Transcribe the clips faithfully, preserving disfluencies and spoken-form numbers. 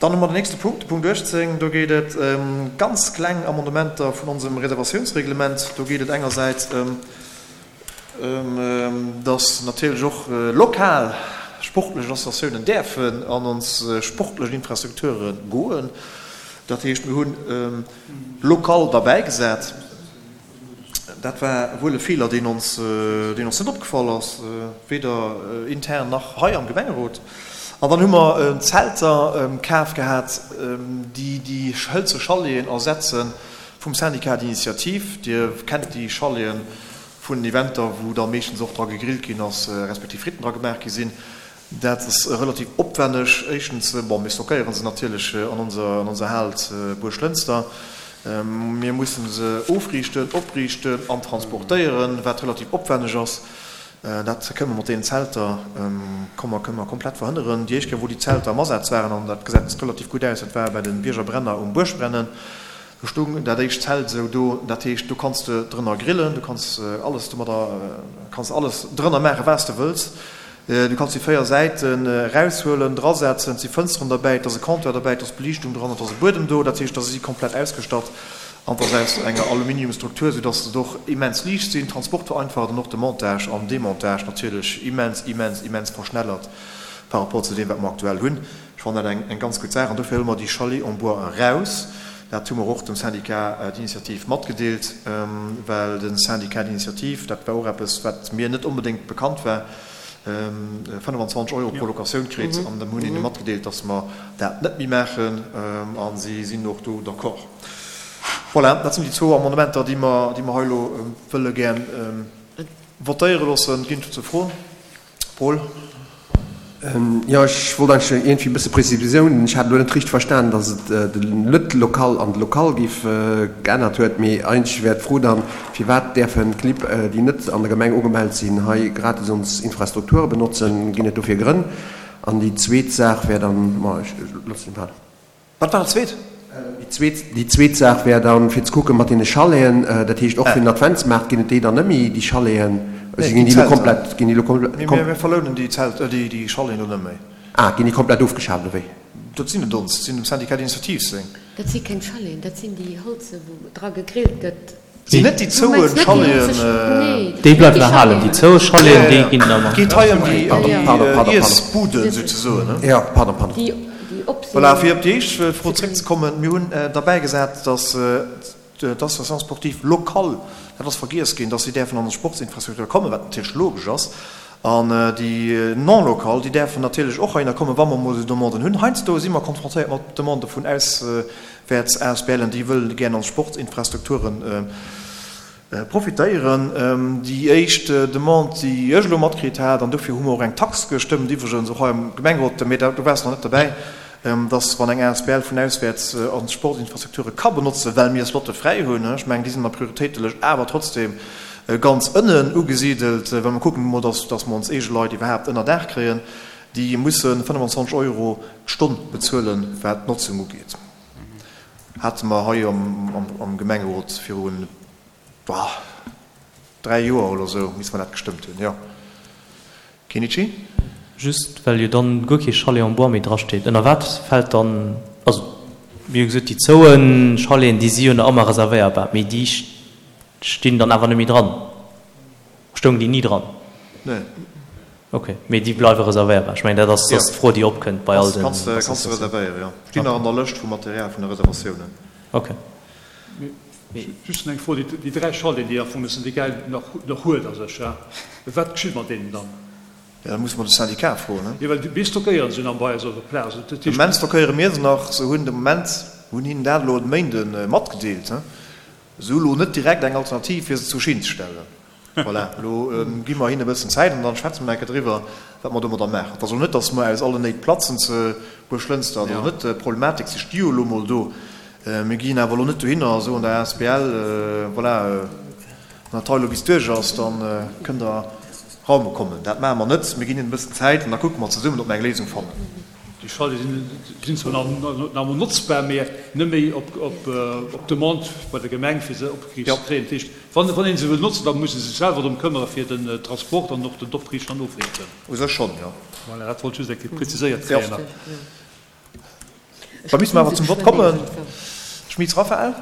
Dann hu mer den nächste Punkt, de Punkt uechtzéng. Do geet et ëm ganz kleng Amendementer vun onsem Reservatiounsreglement. Do geet et engersäits ëm, dass natierlech och lokal sportlech Associatiounen däerfen an ons sportlech Infrastrukture goen. Dat heescht, mir hunn local derbäigesat. Dat war wuel e Feeler, deen ons, deen ons net opgefall ass, weder intern nach hei am Gemengerot. An dann hu mer Zelter kaf gehat, déi déi hëlze Chaleten ersetze vum Syndicat d'initiative. Dir kennt déi Chaleten vun den Eventer, wou da meeschtens och dra gegrillt ginn ass, respektiv Fritten dra gemaach gi sinn. Dat ass relativ opwänneg. Éischtens, bon, mir stockéiere se natierlech an onser, an onser Hal zu Buerglënster. Mir mussen se ofriichten, opriichten an transportéieren, wat relativ opwänneg ass. Dat kënne mer mat deenen Zelter, komme mer, kënne mer komplett verhënneren. Déi éischt Kéier, wou déi Zelter am Asaz waren, an dat gesäit relativ gutt aus, dat war bei de Biergerbrenner um Buergbrennen, do stoung dat éischt Zelt esou do. Dat heescht, do kanns de drënner grillen, du kanns alles domadder, kanns alles drënner maachen, wat s de wëlls. Du kanns déi véier Säiten eraushuelen, drasetzen, et si Fënsteren derbäi, et ass e Comptoir derbäi, et ass Beliichtung dran, et ass e Buedem do. Dat heescht, da si si komplett ausgestatt an et ass aus enger Aluminiumstruktur, soudass se och immens liicht sinn. Transport vereinfacht an och de Montage an Demontage natierlech immens, immens, immens verschnellert par rapport zu deem, wat mer aktuell hunn. Ech fannen dat eng ganz gutt Saach an dofir huele mer déi Chalets en bois eraus. Dat hu mer och dem Syndicat d'initiative matgedeelt, well de Syndicat d'initiative, dat war och eppes, wat mir net onbedéngt bekannt war, fënnefanzwanzeg Euro pro Locatioun kritt an dem hunn hinne matgedeelt, datt mer dat net méi maachen a si sinn och do d'accord. Voilà, dat sinn déi zwou Amendementer, déi mer, déi mer hei elo wëlle gär votéiere loossen. Ginn et dozou Froen? Paul. Jo, ech wollt eigentlech iergendwéi e bësse Prezisioun. Ech hat elo net richteg verstanen, datt et den net-Local an de Local géif geännert huet. Mee eigentlech wär d'Fro dann, Firwat däerfen d'Clibb, déi net an der Gemeng ugemellt sinn, hei gratis ons Infrastrukture benotzen? Ginn et dofir Grënn? An déi zweet Saach wär dann, ma ech loossen den hei. Wat war dat zweet? Déi zweet, déi zweet Saach wär dann, fir ze kucken mat deene Chaleten, dat heescht och fir den Adventsmaart, ginn et déi dann net méi, déi Chaleten? Nee, Ginn déi déi elo Zelter. komplett, ginn déi elo komplett, Mir, mir verlounen déi Zelt, déi, déi Chaleten elo net méi. Ah, ginn déi komplett ofgeschaaft, oder wéi? Dat sinn net ons, dat sinn dem Syndicat d'initiative seng. Dat si keng Chaleten, dat sinn déi Holze wou dra gegrillt gëtt. Sinn net déi zouen Chaleten. Déi bleiwen erhalen, déi zoue Chaleten, déi ginn ëmmer. Et geet hei ëm déi Iessbuden souzesoen. Jo, pardon, pardon. Voilà, fir op déi éischt Fro zréckzekommen, Mir hunn derbäigesat, datt d'Association sportive locale, dat ass vergiess ginn, datt si däerfen an ons Sportsinfrastruktur kommen, wat natierlech logesch ass, an déi non locale, déi däerfen natierlech och heihinner kommen, wa mer emol esou Demanden hunn. Heiansdo si mer konfrontéiert mat Demandë vun aus. Wäerts ASBLen, déi wëllen gären an Sportsinfrastrukturen profitéieren. Déi éischt Demande, déi ech elo matkritt hat, an dofir hu mer och eng Tax gestëmmt, iwwregens och hei am Gemengerot, mee do waars de nach net derbäi, dass wann eng asbl vun auswäerts ons Sportinfrastrukture ka benotzen, well mir Slotte fräi hunn, ech mengen, déi sinn an der Prioritéitelëscht awer trotzdem ganz ënnen ugesidelt, well mer kucken emol, dass dass mer ons eege Leit iwwerhaapt ënner Daach kréien, déi musse fënnefenzwanzeg Euro d'Stonn bezuelen, wat d'Notzung ugeet. Hate mer hei am Gemengerot virun dräi Joer oder esou, misste mer dat gestëmmt hunn, jo. Kenichi? Just well jo dann guer kee Chalet en bois méi drasteet, ënner wat fält dann, also mir hu gesot, déi zoue Chaleten, déi si jo nach ëmmer reservéierbar, mee déi stinn dann awer net méi dran? Stoungen déi ni dran? Nee. Ok, mee déi bleiwe reservéierbar. Ech mengen, dat ass d'Fro, déi opkënnt bei all den Kanns de reservéieren, jo. Stinn nach an der Lëscht vum Material vun de Reservatiounen. Ok. Just eng Fro, déi dräi Chaleten, déi am Fong de Syndicat nach huet a sech, wat geschitt mat deenen dann? Jo, da musse mer de Syndicat froen, ne? Jo, well mir stockéieren se jo nach bei eis op der Plaz. Dat De heescht. Moment stockéiere mir se nach. Se hunn de Moment, hunn hinnen dat elo e Méinde matgedeelt, se hu elo net direkt eng Alternativ, fir se zur Schinn ze stellen. Voilà, elo gi mer hinne e bëssen Zäit an dann schwätze mer nach eng Kéier driwwer, wat mer domadder maachen. Et ass elo net, datt mer aus allen Néit platzen zu Buerglënster. Dat ass net d'Problematik. Si sti jo elo mol do. Mir ginn awer elo net dohinner a soen der asbl, voilà, wann dat hei elo bis duerch ass, da kënnt Der raume kommen. Dat maache mer net. Mir ginn hinnen e bëssen Zäit an da kucke mer zesummen, ob mer eng Léisung fannen. Déi Chaleten sinn zwar nach emol notzbar, mä net méi op Demande bei der Gemeng, fir se opgeriicht ze kréien. Dat heescht, wann ee se wëll notzen, da muss e sech selwer drëm këmmere fir den Transport an och den Opriichten an Ofriichten. U sech schonn, jo. Voilà, dat wollt ech just eng Kéier preziséiert kréien. Da müsse mer awer zum Vott kommen. Schmitz Raphaël?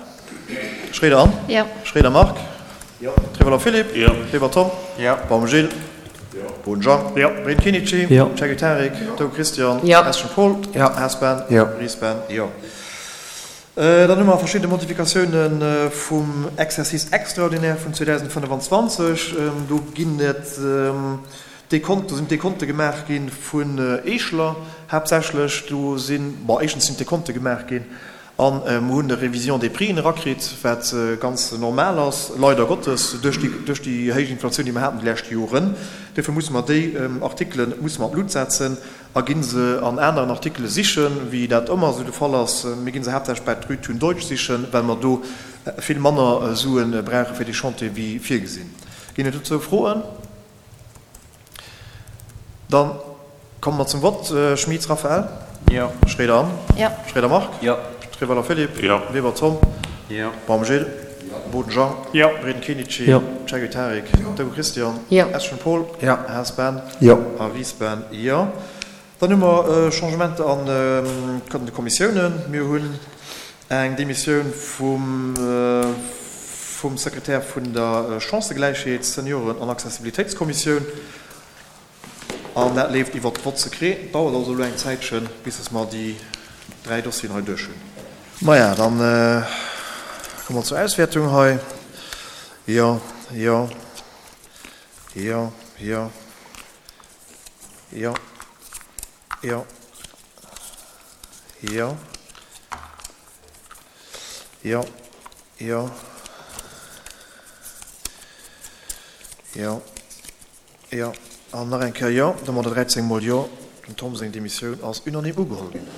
Schroeder Anne? Jo. Schroeder Marc? Jo. Trevoller Philippe? Jo. Weber Tom? Jo. Baum Gilles? Jo. Boden Jean? Jo. Breen Kinici? Jo. Cherki Tarik? Jo. Doe Christian? Jo. Eschen Paul? Jo. Haas Ben? Jo. Ries Ben? Jo. Dann hu mer verschidde Modifikatiounen vum Exercice extraordinaire vun zweedausendfënnefenzwanzeg. Do ginn et Dekonten, do sinn Dekonte gemaach gi vun Eeschler haaptsächlech. Do sinn, bon, éischtens sinn d'Dekonte gemaach ginn a mer hunn e Révision des prixen erakritt, wat ganz normal ass, leider Gottes, duerch déi, duerch déi héich Inflatioun, déi mer haten déi lescht Joren. Duerfir musse mer déi Artikelen musse mer an d'Lut setzen a gi se an aneren Artikele sichen, wéi dat ëmmer esou de Fall ass. Mir gi se haaptsächlech bei d'Rue Thun Deutsch sichen, well mer do vill manner Sue brauche fir dee Chantier wéi virgesinn. Ginn et dozou Froen? Da komme mer zum Vott. Schmitz Raphaël? Jo. Schroeder Anne? Jo. Schroeder Marc? Jo. Trevoller Philippe? Jo. Weber Tom? Jo. Baum Gilles? Jo. Boden Jean? Jo. Breden Kenichi? Jo. Cherki Tarik? Jo. Doe Christian? Jo. Eschen Paul? Jo. Haas Ben? Jo. A Ries Ben? Jo. Dann hu mer Changementer an de Kommissiounen. Mir hunn eng Demissioun vum vum Sekretär vun der Chancëgläichheets-, Senioren an Accessibilitéitskommissioun. An dat leeft iwwer d'Vote secret. Dauert also elo eng Zäitchen, bis dass mer déi dräi Dossieren hei duerch hunn. Maja, dann komme mer zur Auswäertung hei. Jo, jo, jo, jo, jo, jo, jo, jo, jo, jo, jo an nach eng Kéier jo. Domadder dräizéng mol jo. Dem Tom seng Demissioun ass unanime ugeholl ginn.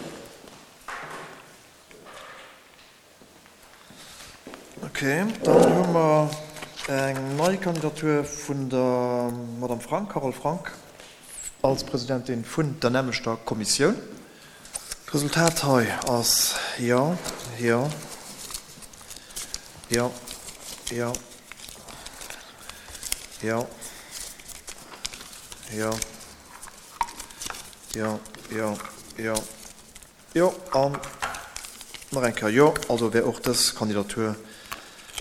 Ok, dann hu mer eng nei Kandidatur vun der Madame Frank, Carole Frank, als Presidentin vun der nämlechter Kommissioun. D'Resultat hei ass jo, jo, jo, jo, jo, jo, jo, jo, jo, jo an nach eng Kéier jo. Also wär och dës Kandidatur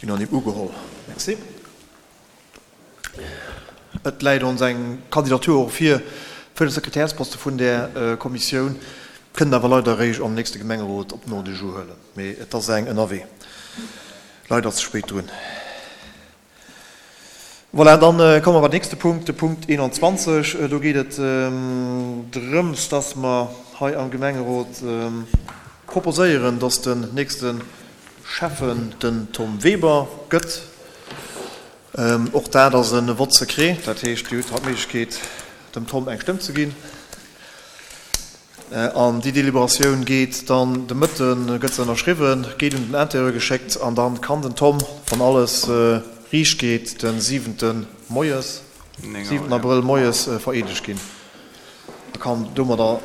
unanime ugeholl. Merci. Et läit ons eng Kandidatur och vir fir de Sekretärsposte vun där Kommissioun, kënnt awer leider eréischt am nächste Gemengerot op den Ordre du jour huelen. Mee et ass eng ënnerwee. Leider ze spéit drun. Voilà, dann komme mer beim nächste Punkt, de Punkt eenanzwanzeg. Do geet et drëms, dass mer hei am Gemengerot proposéieren, dass den nächste Schäffen den Tom Weber gëtt. Och dat ass e Vote secret, dat heescht, Dir hutt haut d'Méiglechkeet, dem Tom eng Stëmm ze ginn. An déi Deliberatioun geet dann de Mëtten, gëtt se ënnerschriwwen, geet un den Intérieur geschéckt an dann kann den Tom, wann alles riicht geet, de siwenten moies, siwenten Abrëll moies vereedegt ginn a kann domadder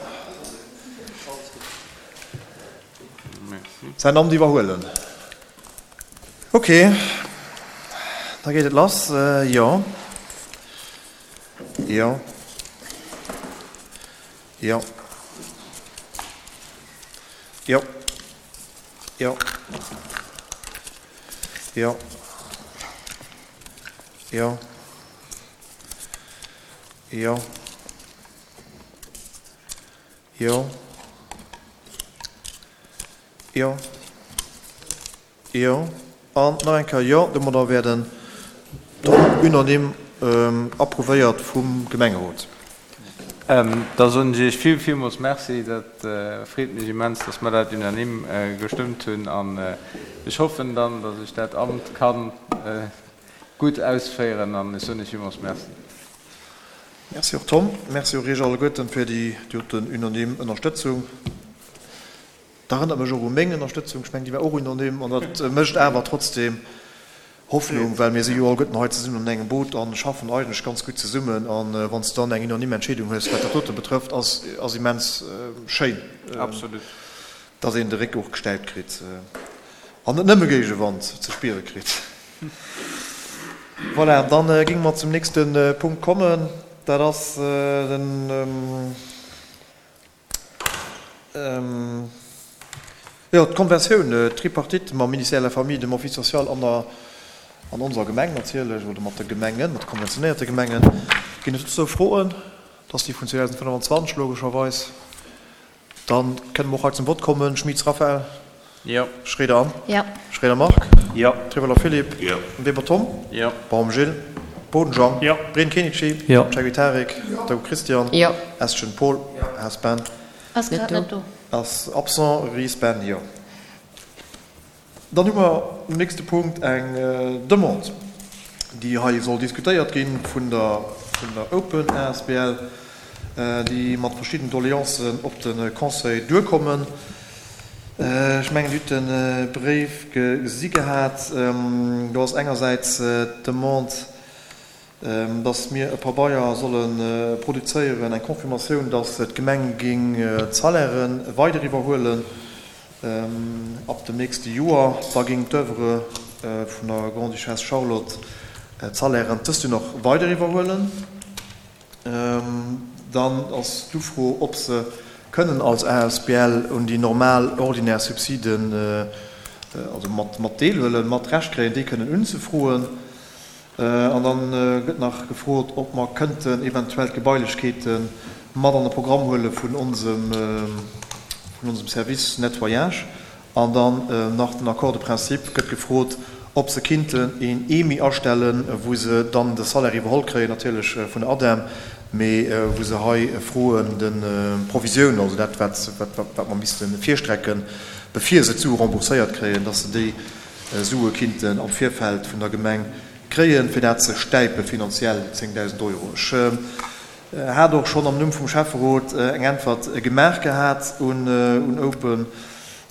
säin Amt iwwerhuelen. Ok, da geet et lass. Jo. Jo. Jo. Jo. Jo. Jo. Jo. Jo. Jo. Jo. Jo. An nach eng Kéier jo. Domadder wär den Tom unanime approuvéiert vum Gemengerot. Da soen ech Iech vill, villmools Merci. Dat freet mech immens, dass mer dat unanime gestëmmt hunn. An ech hoffen dann, dass ech dat Amt ka gutt ausféieren. An ech soen Iech villmools Merci. Merci och Tom. Merci och Iech alleguerten fir déi doten unanime Ënnerstëtzung. Dat erënnert mech och u meng Ënnerstëtzung. Ech mengen, déi war och unanime. An dat mécht awer trotzdem Hoffnung, well mir si jo alleguerten hei zesummen an engem Boot a schaffen eigentlech ganz gutt zesummen. A wann s de dann eng unanime Entscheedung hues, wat dat dote betrëfft, ass, ass immens schéin, dass een de Réck och gestäipt kritt an net nëmme Géigewand ze spiere kritt. Voilà, dann géinge mer zum nächste Punkt kommen. Dat ass den Jo, d'Konventioun, d'Tripartite mam Ministère de la Famille, dem Office social an der, an onser Gemeng natierlech, oder mat de Gemengen, mat de konventionéierte Gemengen. Ginn et dozou Froen? Dat ass déi vun zweedausendfënnwanzwanzeg logescherweis. Dann kënne mer och hei zum Vott kommen. Schmitz Raphaël? Jo. Schroeder Anne? Jo. Schroeder Marc? Jo. Triveller Philippe? Jo. Weber Tom? Jo. Baum Gilles? Boden Jean? Jo. Breen Kenichi? Jo. Cheguy Tarik? Jo. Dago Christian? Jo. Estgen Paul? Haas Ben? Ass grad net do. Ass absent. Ries Ben? Jo. Dann hu mer um nächste Punkt eng Demande, déi hei soll diskutéiert gi vun der vun der Open asbl, déi mat verschidden Doleancen op de Conseil duerkommen. Ech mengen, Dir hutt de Bréif gesi gehat. Do ass engersäits d'Demande, dass mir e Pabeier solle produzéieren, eng Confirmatioun, dass d'Gemeng géing d'Salairen weider iwwerhuelen ab dem nächste Joer. Da géing d'Oeuvre vun der Grande-Duchesse Charlotte d'Salairen dëst Joer nach weider iwwerhuelen. Dann ass d'Ufro, ob se kënnen als asbl un déi normal ordinär Subsiden, also mat mat deelhuelen, mat Recht kréien, déi kënnen unzefroen. An dann gëtt nach gefrot, ob mer kënnten eventuell d'Gebailechkeete mat an de Programm huele vun onsem vun onsem Service Nettoyage. An dann nach den Accord de principe gëtt gefrot, ob se kinnten een E M I astellen, wou se dann de Salaire iwwerholl kréien, natierlech vun der ADEM, mee wou se hei froen de Provisioun, also dat, wat wat mer misste virstrecken, bevir se d'Sue rembourséiert kréien, dass se déi Sue kinnten am Virfeld vun der Gemeng kréien, fir dat ze stäipe finanziell, déi zéngdausend Euro. Ech hat och schonn am Numm vum Schäfferot eng Äntwert gemaach gehat un un Open,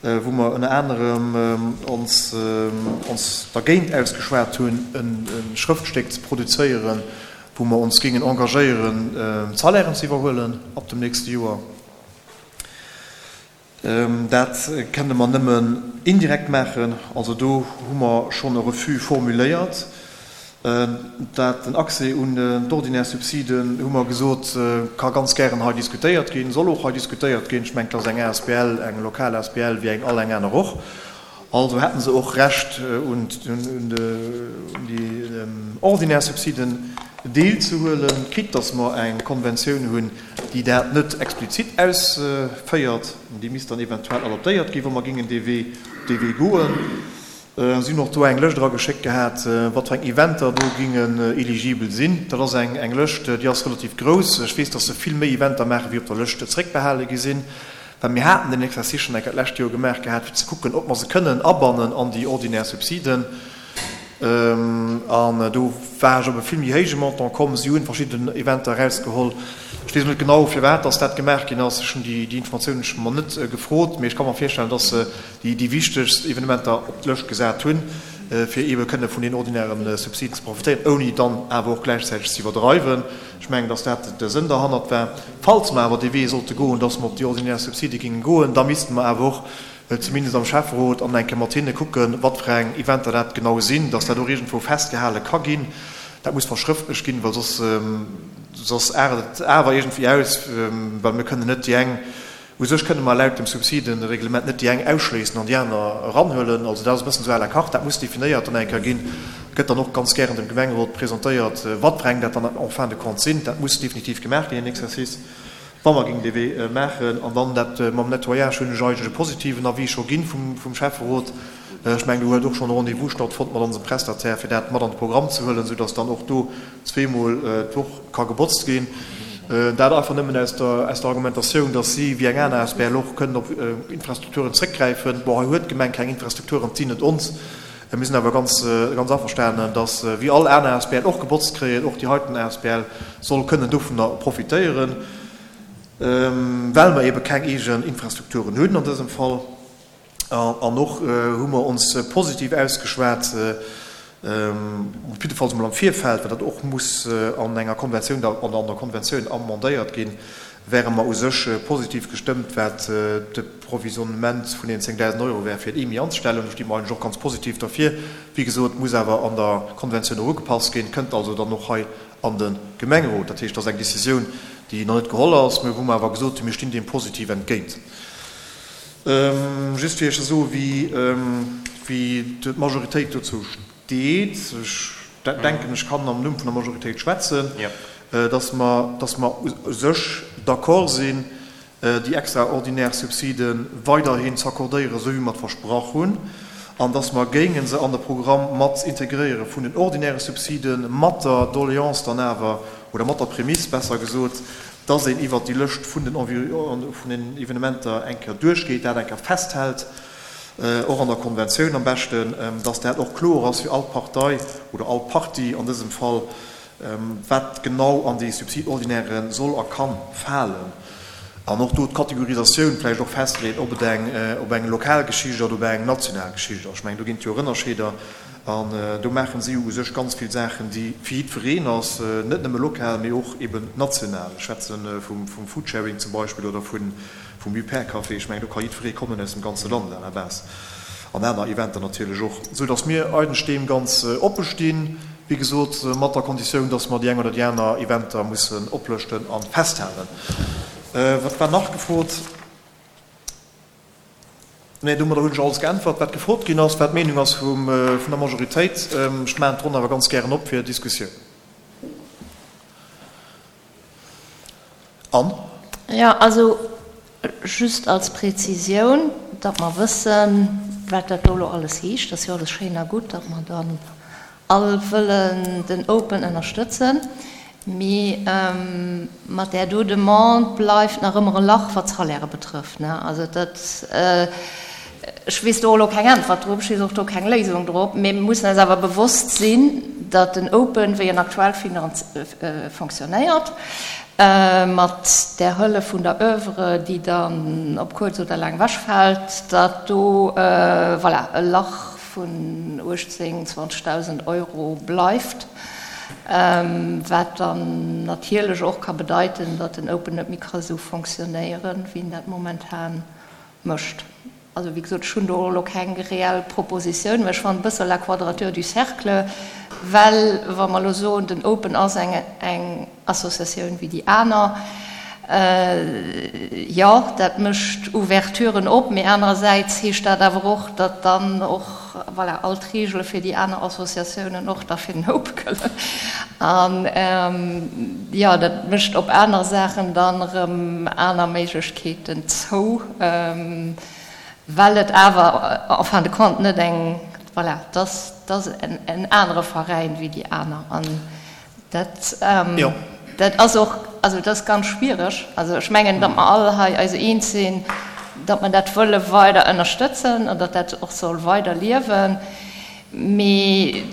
wou mer ënner anerem ons ons dergéint ausgeschwat hunn, e Schrëftstéck ze produzéieren, wou mer ons géingen engagéieren, d'Salairen ze iwwerhuelen ab dem nächste Joer. Dat kënne mer nëmmen indirekt maachen. Also do hu mer schonn e Refus formuléiert. Dat den Accès un d'ordinär Subsiden, hu mer gesot, ka ganz gären hei diskutéiert ginn, soll och hei diskutéiert ginn. Ech mengen, et ass eng asbl, eng lokal asbl wéi eng all eng aner och. Also hätten se och Recht un déi ordinär Subsiden deelzehuelen, quitte dass mer eng Konventioun hunn, déi dat net explizit ausféiert. Déi misst dann eventuell adaptéiert ginn, wa mer géingen dee Wee dee Wee goen. Si hunn och do eng Lëscht erageschéckt gehat, wat fir eng Eventer do gingen eligibel sinn. Dat ass eng eng Lëscht, déi ass relativ grouss. Ech weess, dass se vill méi Eventer maachen, wéi op der Lëscht zréckbehale gi sinn. Well mir haten den Exercice schonn eng Kéier d'lescht Joer gemaach gehat, fir ze kucken, ob mer se kënnen abannen an déi ordinär Subsiden. An do war ech op e vill méi héije Montant komm. Si hunn verschidden Eventer erausgeholl. Ech weess net genau, firwat dass dat gemaach ginn ass. Ech hunn déi Informatioun ech mer net gefrot, mee ech ka mer virstellen, dass se déi déi wichtegst Evenementer op d'Lëscht gesat hunn, fir eebe kënne vun den ordinären Subsiden ze profitéieren, ouni dann awer och gläichzäiteg ze iwwerdreiwen. Ech mengen, dass dat de Sënn derhannert war. Falls mer awer dee Wee sollte goen, dass mer op déi ordinär Subside géinge goen, da misste mer awer och zumindest am Schäfferot an eng Kéier mat hinne kucken, wat fir eng Eventer dat genau sinn, dass dat och iergendwou festgehale ka ginn. Dat muss verschrëftlech ginn, well soss soss aart et awer iergendwéi aus, well mir kënnen net déi eng, u sech kënne mer laut dem Subsidenreglement net déi eng ausschléissen an déi aner eranhuelen. Also dat ass e bëssen esou à la carte, dat muss definéiert dann eng Kéier ginn, gëtt dann och ganz gären dem Gemengerot presentéiert, wat fir eng dat dann en fin de compte sinn. Dat muss definitiv gemaach ginn, deen Exercice, wa mer géingen dee Wee maachen. An dann dat mam Nettoyage hunn ech eigentlech e positiven Avis scho ginn vum vum Schäfferot. Ech mengen, do huet och schonn e Rendez-vous stattfonnt mat onsem Prestataire, fir dat mat an de Programm ze huelen, soudass dann och do zweemol d'Woch ka gebotzt ginn. Dat einfach nëmmen aus der aus der Argumentatioun, dass si, wéi eng aner asbl och, kënnen op Infrastrukturen zréckgräifen. Bon, hei huet d'Gemeng keng Infrastrukturen, et sinn net ons. Mir sinn awer ganz ganz averstanen, dass, wéi all aner asbl och gebotzt kréien, och déi heiten asbl soll kënnen dovunner profitéieren, well mer eebe keng eegen Infrastrukturen hunn an dësem Fall. An och hu mer ons positiv ausgeschwat, op jiddefalls emol am Virfeld, well dat och muss an enger Konventioun oder an der Konventioun amendéiert ginn, wäre mer u sech positiv gestëmmt, wat de Provisionnement vun deenen zéngdausend Euro wär, fir d'E M I anzestellen. Do sti mer eigentlech och ganz positiv derfir. Wéi gesot, muss awer an der Konventioun och ugepasst ginn, kënnt also dann och hei an de Gemengerot. Dat heescht, dat ass eng Décisioun, déi nach net geholl ass, mä wou mer awer gesot hunn, mir stinn deem positiv entgéint. Just fir Iech ze soen, wéi, wéi d'Majoritéit dozou steet, ech denken, ech kann am Numm vun der Majoritéit schwätzen, dass mer, dass mer u sech d'accord sinn, déi extraordinär Subside weiderhin z'accordéieren, esou wéi mer et versprach hunn, an dass mer géinge se an de Programm mat integréiere vun den ordinäre Subsiden, mat der Doléance dann awer, oder mat der Prämiss besser gesot, dass een iwwert déi Lëscht vun den vun den Evenementer eng Kéier duerchgeet, dat eng Kéier festhält, och an der Konventioun am beschten, dass dat och kloer ass fir all Partei oder all Partie an dësem Fall, wat genau an déi Subside ordinaire soll a kann falen. An och do d'Kategorisatioun vläicht och festleeën, ob et eng ob eng lokal Geschicht oder ob eng national Geschicht ass. Ech mengen, do ginn et jo och Ënnerscheeder. An do maache si jo u sech ganz vill Saachen, déi fir jiddwereen ass, net nëmme lokal, mee och eben national. Ech schwätze vum Foodsharing zum Beispill oder vum Repair-Café. Ech mengen, do ka jiddweree kommen aus dem ganze Land à la base. An aner Eventer natierlech och. Esou datt mir eigentlech deem ganz oppe stinn, wéi gesot, mat der Konditioun, datt mer déi eng oder déi aner Eventer mussen oplëschten a festhalen. Wat war nach gefrot? Nee, domadder hunn ech alles geäntwert, wat gefrot ginn ass, wat d'Meenung ass vum, vun der Majoritéit. Ech maachen d'Ronn awer ganz gären op fir Diskussioun. Anne? Jo, also just als Präzisioun, datt mer wëssen, wat dat do elo alles heescht. Dat ass jo alles schéin a gutt, datt mer dann all wëllen den Open ënnerstëtzen. Mee mat där do Demande bleift nach ëmmer e Lach, wat d'Salairë betrëfft, ne? Also dat, ech weess do elo keng Äntwert drop, ech weess och do keng Léisung drop, mee mir mussen eis awer bewosst sinn, datt den Open, wéi en aktuell fonctionnéiert, mat där Hëllef vun der Oeuvre, déi dann op kuerz oder laang ewechfält, datt do, voilà, e Lach vun uechtzéng, zwanzegdausend Euro bleift. Wat dann natierlech och ka bedeiten, datt den Open net méi ka esou fonctionnéieren, wéi en dat momentan mécht. Also, wéi gesot, ech hunn do och elo keng reell Propositioun, mä ech fannen e bësse la quadrature du cercle, well wa mer elo soen, den Open ass eng eng Associatioun wéi déi aner, jo, dat mécht Ouverturen op, mee anerersäits heescht dat awer och, datt dann och, voilà, all d'Reegele fir déi aner Associatiounen och da fir den Open gëllen. An, jo, dat mécht op aner Saachen dann erëm aner Méiglechkeeten zou, well et awer en fin de compte net eng, voilà, et ass, et ass en anere Veräin wéi déi aner. An dat, dat ass och, also dat ass ganz schwiereg. Also ech mengen, datt mer all hei eis eens sinn, datt mer dat wëlle weider ënnerstëtzen an datt dat och soll weider liewen. Mee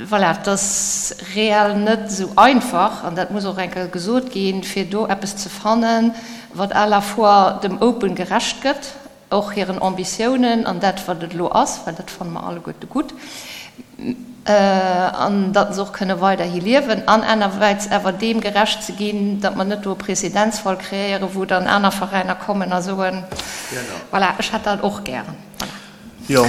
voilà, et ass reell net esou einfach, an dat muss och eng Kéier gesot ginn, fir do eppes ze fannen, wat à la fois dem Open gerecht gëtt, och hiren Ambitiounen an dat, wat et elo ass, well dat fanne mer alleguerte gutt, an datt se och kënne weiderhi liewen, an anerwäits awer deem gerecht ze ginn, datt mer net do e Prezedenzfall kreéieren, wou dann aner Veräiner kommen a soen, voilà, ech hätt dat och gären. Voilà. Jo,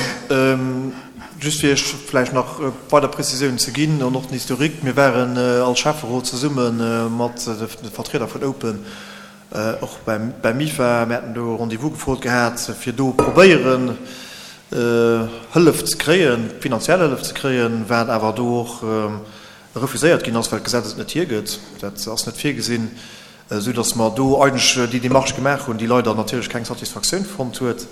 just fir Iech vläicht nach weider Prezisiounen ze ginn an och den Historique, Mir waren als Schäfferot zesumme mat de Vertrieder vun Open och beim MIFA, mir haten do e Rendez-vous gefrot gehat, fir do probéieren, Hëllef ze kréien, finanziell Hëllef ze kréien, wat awer do och refuséiert ginn ass, well d'Gesetz et net hiergëtt. Dat ass net virgesinn, esou datt mer do eigentlech déi Démarche gemaach hunn, déi leider natierlech keng Satisfaktioun fonnt huet.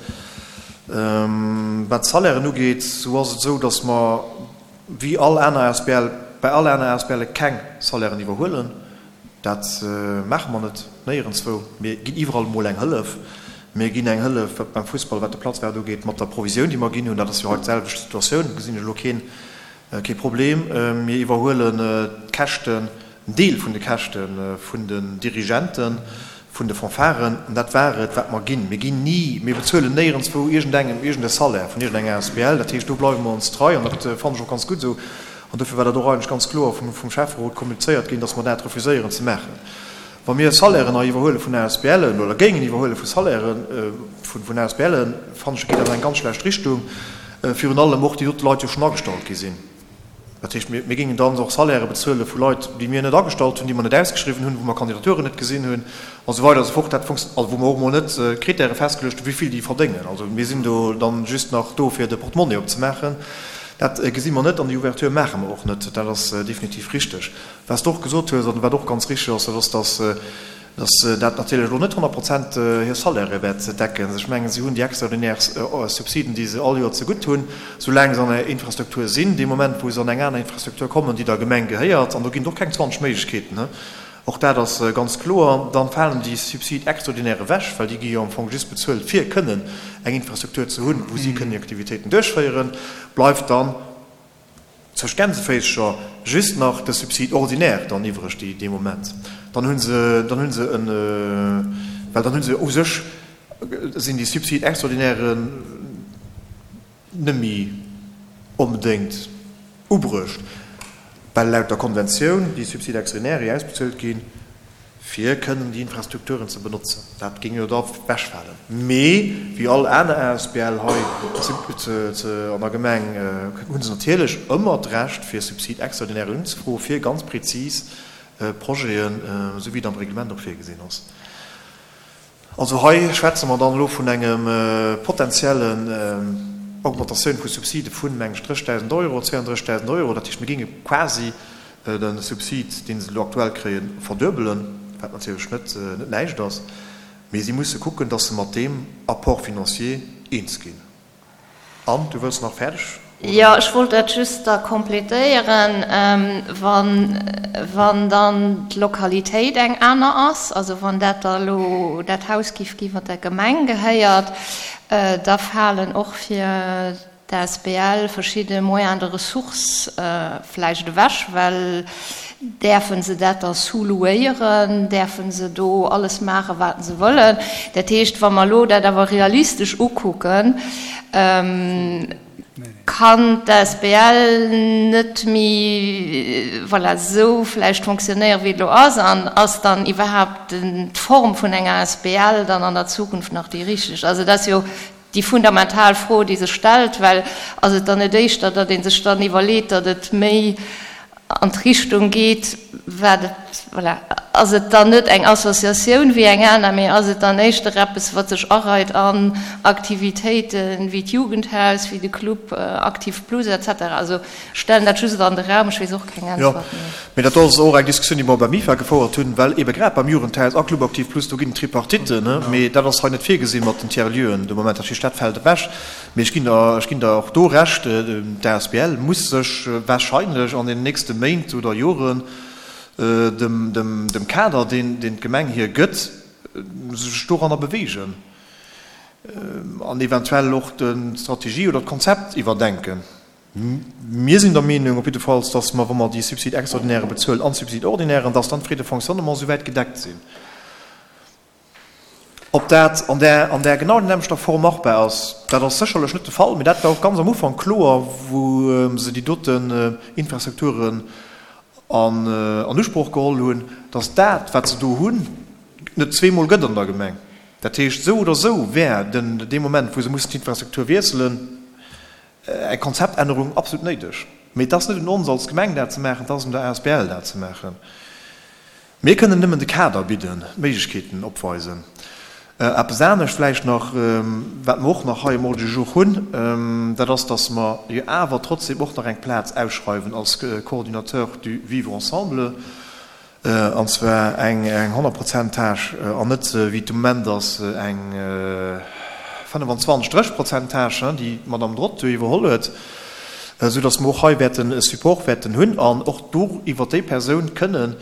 Wat d'Salairen ugeet, esou ass et esou, datt mer wéi all aner asbl, bei all aner asbl keng Salairen iwwerhuelen. Dat maache mer net, néierenswou. Mir ginn iwwerall emol eng Hëllef. Mir ginn eng Hëllef beim Fussball, wat de Platzwäert ugeet, mat der Provisioun, déi mer ginn hunn. Dat ass jo hei d'selwecht Situatioun, do gesinn ech elo keen, kee Problem. Mir iwwerhuelen d'Käschten, en Deel vun de Käschte vun den Dirigenten, vun de Fanfaren. An dat war et, wat mer ginn. Mir ginn ni, mir bezuelen néierenswou iergendengem iergende Salaire vun iergendenger asbl. Dat heescht, do bleiwe mer ons trei an dat fannen ech och ganz gutt esou. An dofir war dat och eigentlech ganz kloer vum, vum Schäfferot kommunizéiert ginn, dass mer dat refuséieren ze maachen. Wa mir Salairen hei iwwerhuele vun ASBLen oder géingen iwwerhuele vu Salairen vun, vun ASBLen, fannen ech, geet dat an eng ganz schlecht Richtung, virun allem och déi dote Leit jo schonn agestallt gi sinn. Dat heescht, mir géingen dann och Salairë bezuele vu Leit, déi mir net agestallt hunn, déi mer net ausgeschriwwen hunn, wou mer Kandidaturen net gesinn hunn a sou weider a sou fort. Dat funktio-, also wou mer och emol net Kritäre festgeluecht hunn, wéi vill déi verdéngen. Also mir sinn do dann just nach do, fir de Portemonnaie opzemaachen. Dat gesi mer net an déi Ouverture maache mer och net. Dat ass definitiv richteg. Wat s de och gesot hues an wat och ganz richteg ass, dat ass, dass dass dat natierlech elo net honnert Prozent hir Salairë wäert decken. Ech mengen, si hunn déi extraordinär Subsiden, déi se all Joer zegutt hunn, soulaang se an der Infrastruktur sinn. Dee Moment, wou se an eng aner Infrastruktur kommen, déi der Gemeng gehéiert, an do ginn et och keng zwanzeg Méiglechkeeten, och dat ass ganz kloer, dann falen déi Subsides extraordinaires ewech, well déi gi jo am Fong just bezuelt, fir kënnen eng Infrastruktur ze hunn, wou si kënnen hir Aktivitéiten duerchféieren, bleift dann, Zwëscht Gänseféischer just nach de Subside ordinaire dann iwwreg, déi dee Moment, dann hu se, dann hu se en, well dann hu se u sech, sinn déi Subsides extraordinairen net méi onbedéngt ubruecht, well laut der Konventioun déi Subsides extraordinaires, déi ausbezuelt ginn, fir kënnen déi Infrastrukturen ze benotzen. Dat géing jo da wechfalen. Mee wéi all aner asbl hei an der Gemeng hu se natierlech ëmmer d'Recht, fir Subside extraordinaire unzefroen, fir ganz prezis Projeten, esou wéi et am Reglement och virgesinn ass. Also hei schwätze mer dann elo vun engem potenziellen Augmentatioun vu Subside vun, meng ech, dréchdausend Euro, zweeandréchdausend Euro. Dat heescht, mir géinge quasi de Subsid, dee se elo aktuell kréien, verduebelen, wat natierlech net net näischt ass, mee si musse kucken, datt se mat deem Apport financier eens ginn. Anne, du wëlls nach fäerdeg, oder? Jo, ech wollt dat just da complétéieren. Wann, wann dann d'Lokalitéit eng aner ass, also wann dat da elo dat Haus giff ginn, wat der Gemeng gehéiert, da falen och fir D'asbl verschidde Moyens de ressources vläicht ewech, well däerfe se dat da sous-louéieren, däerfe se do alles maachen, wat se wëllen. Dat heescht, wa mer elo dat awer realistesch ukucken, kann d'asbl net méi, voilà, esou vläicht fonctionnéieren, wéi et elo ass. An ass dann iwwerhaapt d'Form vun enger asbl dann an der Zukunft nach déi richteg? Also dat ass jo Déi fundamental Fro, déi sech stellt, well ass et dann net éischter, datt ee sech dann iwwerleet, datt et méi an d'Richtung geet, wat et, voilà, ass et dann net eng Associatioun wéi eng aner, mee ass et dann éischter eppes, wat sech areit an Aktivitéite wéi d'Jugendhaus, wéi de Club Aktiv Plus et cetera. Also ech stellen dat just an de Raum, ech weess och keng Äntwert. Jo, mee dat ass och eng Diskussioun, déi mer beim IFA gefouert hunn, well eebe grad beim Jugendhaus a Club Aktiv Plus, do ginn et Tripartitten, mee dat ass hei net virgesinn mat den Tiers-lieuxen de Moment. Dat heescht, dat fält ewech. Mee ech ginn der, ech ginn der och do Recht, d'asbl muss sech wahrscheinlech an den nächste Méint oder Joren dem, dem, dem Kader, deen, deen d'Gemeng hir gëtt, sech doranner bewegen an eventuell och d'Strategie oder d'Konzept iwwerdenken. Mir sinn der Meenung op jiddefalls, dass mer, wa mer déi Subsides extraordinaires bezuelen an d'Subsides ordinairen, dass dann d'Frais de fonctionnement souwäit gedeckt sinn. Ob dat an där, an där genau nämmlechter Form machbar ass, dat ass sécherlech net de Fall, mee dat war och ganz am Ufank kloer, wou se déi doten Infrastrukturen an an Usproch geholl hunn, dass dat, wat se do hunn, net zweemol gëtt an der Gemeng. Dat heescht, esou oder esou wär den dee Moment, wou se mussen d'Infrastruktur wiesselen, eng Konzeptännerung absolut néideg. Mee et ass net un ons als Gemeng dat ze maachen, et ass un der asbl dat ze maachen. Mir kënnen nëmmen de Kader bidden, d'Méiglechkeeten opweisen. Eppes anescht vläicht nach, wat mer och nach hei um Ordre du jour hunn, dat ass, dass mer jo awer trotzdem och nach eng Plaz ausschreiwen als Coordinateur du vivre ensemble, an zwar eng honnert Prozent Tâche an net, wéi et de Moment ass, eng fënnefenzwanzeg, drécheg Prozent Tâche, déi d'Madame Drot do iwwerholl huet, soudass mer och hei wäerten e Support wäerten hunn an och do iwwert déi Persoun kënnen